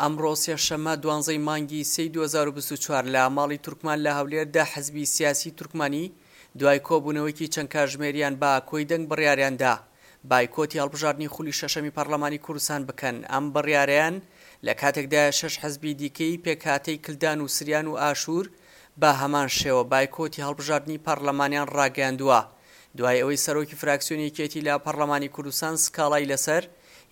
ئەمڕۆ سێشەممە دوانزەی مانگی سێی 2024 لە ماڵی تورکمان لە هەولێر دە حزبی سیاسی تورکمانی دوای کۆبوونەوەیەکی چەند کاتژمێریان بە کۆی دەنگ بڕیاریان دا بایکۆتی هەڵبژاردنی خولی شەشەمی پەڕلەمانی کوردستان بکەن، ئەم بڕیارەیان لە کاتێکدایە شەش حزبی دیکەی پێکهاتەی کلدان و سریان و ئاشوور بە هەمان شێوە بایکۆتی هەڵبژاردنی پەڕلەمانیان ڕاگەیاندووە دوای ئەوەی سەرۆکی فراکسیۆنی یەکێتی لە پەڕلەمانی کوردستان سکاڵای لەسەر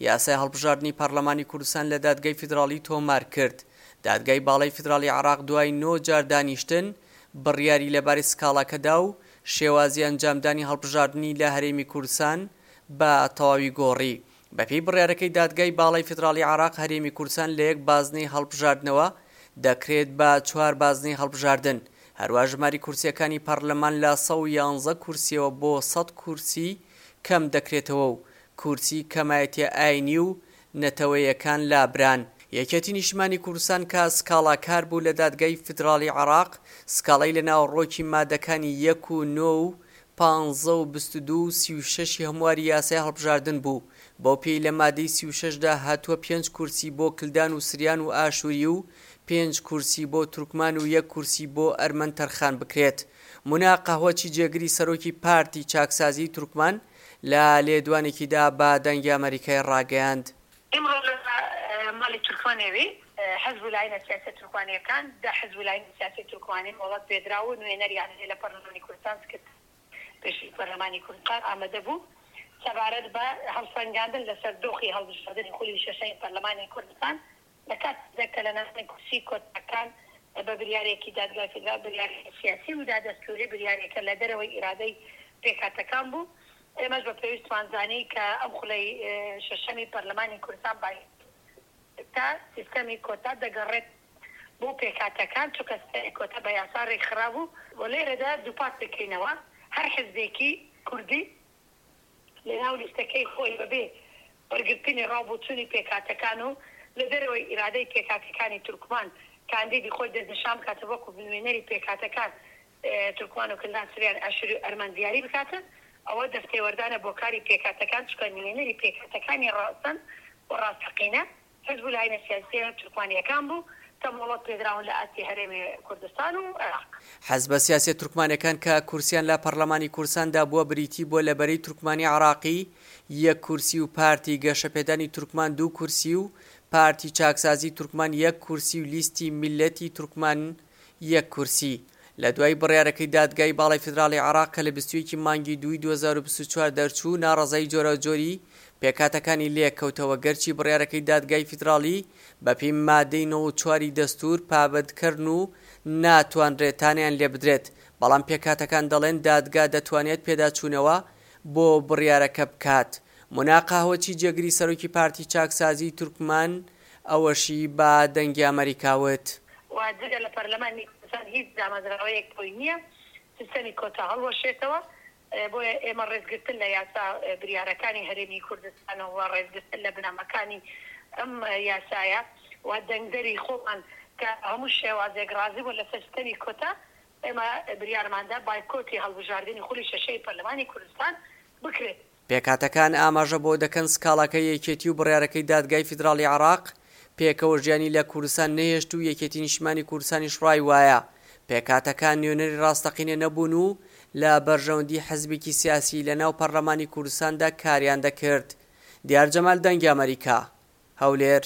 یاسای هەڵبژاردنی پەڕلەمانی کوردستان لە دادگای فیدڕاڵی تۆمار کرد. دادگای باڵای فیدڕاڵی عێراق دوای نۆ جار دانیشتن بڕیاری لەبارەی سکاڵاکە دا و شێوازی ئەنجامدانی هەڵبژاردنی لە هەرێمی کوردستان بە تەواوی گۆڕی. بەپێی بڕیارەکەی دادگای باڵای فیدڕاڵی عێراق هەرێمی کوردستان لە یەک بازنەی هەڵبژاردنەوە دەکرێت بە چوار بازنەی هەڵبژاردن، هەروا ژماری کورسییەکانی پەڕلەمان لە 111 کورسییەوە بۆ 100 کورسی کەم دەکرێتەوە و کورسی کەمایەتییە ئاینی و نەتەوەیەکان لابران. یەکێتی نیشتمانی کوردستان کە سکاڵاکار بوو لە دادگای فیدراڵی عێراق، سکاڵای لە ناوەڕۆکی مادەکانی یەک و نۆ و پانزە و 22 و 36 ی هەمواری یاسای هەڵبژاردن بوو، بەو پێی لە مادەی 36 دا هاتووە پێنج کورسی بۆ کلدان و سریان و ئاشووری و پێنج کورسی بۆ تورکمان و یەک کورسی بۆ ئەرمەن تەرخان بکرێت. مونا قەهوەچی جێگری سەرۆکی پارتی چاکسازیی تورکمان لە لێدوانێکیدا بە دەنگی ئەمەریکای ڕاگەیاند. ئیمڕۆ لە ماڵی تورکمانێوی حزب و لاینە سیاسیە تورکمانیەکان، دە حزب و لاینی سیاسی تورکمانی مۆڵەت پێدراو و نوێنەریان هەیە لە پەرلەمانی کوردستان، سکرتێری پێشووی پەرلەمانی کوردستان ئامادە بوو، سەبارەت بە هەڵسەنگاندن لەسەر دۆخی هەڵبژاردنی خولی شەشەمی پەرلەمانی کوردستان لە کاتێکدا کە لەناوەندی کورسی کۆتاکان بە بریارێکی دادگای فیدراڵ بریارێکی سیاسی و دادەستوری بریارێکە لە دەرەوەی ئیرادەی پێکهاتەکان بوو ئێمەش بە پێویستمان زانی کە ئەم خولەی شەشەمی پەرلەمانی کوردستان بایکۆت تا سیستەمی کۆتا دەگەڕێت بۆ پێکهاتەکان چونکە سیستەمی کۆتا بە یاسا رێکخرابوو و لێرەدا دووپات دەکەینەوە هەر حزبێکی کوردی لەناو لیستەکەی خۆی بەبێ وەرگرتنی ڕاو بۆچوونی پێکهاتەکان و لە دەرەوەی ئیرادەی پێکهاتەکانی تورکمان کاندیدی خۆی دەستنیشان بکات و وەکو نوێنەری پێکهاتەکان تورکمان و کلدان سریان ئاشوری و ئەرمەن دیاری بکات ئەوە دەستێوەردانە بۆ کاری پێکهاتەکان چونکە نوێنەری پێکهاتەکانی ڕەسەن و ڕاستەقینە حزب و لایەنە سیاسییە تورکمانییەکان بوو کە مۆڵەت پێدراون لە ئاستی هەرێمی کوردستان و عێراق. حزبە سیاسیە تورکمانەکان کە کورسیان لە پەڕلەمانی کوردستاندا بووە بریتی بووە لە بەرەی تورکمانی عێراقی یەک کورسی و پارتی گەشەپێدانی تورکمان دوو کورسی و پارتی چاکسازی تورکمان یەک کورسی و لیستی میللەتی تورکمان یەک کورسی. لە دوای بڕیارەکەی دادگای باڵای فیدراڵی عێراق کە لە 21 ی مانگی دووی 2024 دەرچوو، ناڕەزایی جۆراوجۆری پێکهاتەکانی لێکەوتەوە، گەرچی بڕیارەکەی دادگای فیدراڵی بەپێی مادەی 94 ی دەستوور پابەندکەرن و ناتوانرێت تانەیان لێبدرێت، بەڵام پێکهاتەکان دەڵێن دادگا دەتوانێت پێداچوونەوە بۆ بڕیارەکە بکات. مونا قەهوەچی جێگری سەرۆکی پارتی چاکسازیی تورکمان ئەوەشی بە دەنگی ئەمەریکا وت. و جگە لە پەرلەمانی کوردستان هیچ دامەزراوەیەک بۆی نییە سیستەمی کۆتا هەڵوەشێتەوە، بۆیە ئێمە ڕێزگرتن لە یاسا بریارەکانی هەرێمی کوردستان و ڕێزگرتن لە بنەماکانی ئەم یاسایە و دەنگدەری خۆمان کە هەموو شێوازێک ڕازی بوون لەسەر سیستەمی کۆتا، ئێمە بریارماندا بایکۆتی هەڵبژاردنی خولی شەشەی پەرلەمانی کوردستان بکرێت. پێکهاتەکان ئاماژە بەوە دەکەن سکاڵاکەی یەکێتی و بڕیارەکەی دادگای فیدراڵی عێراق پێکەوە ژیانی لە کوردستان نەهێشت و یەکێتی نیشتمانی کوردستانیش ڕای وایە پێکهاتەکان نوێنەری ڕاستەقینە نەبوون و لە بەرژەوەندی حزبێکی سیاسی لە ناو پەرلەمانی کوردستاندا کاریان دەکرد. دیار جەمال دەنگی ئەمەریکا، هەولێر.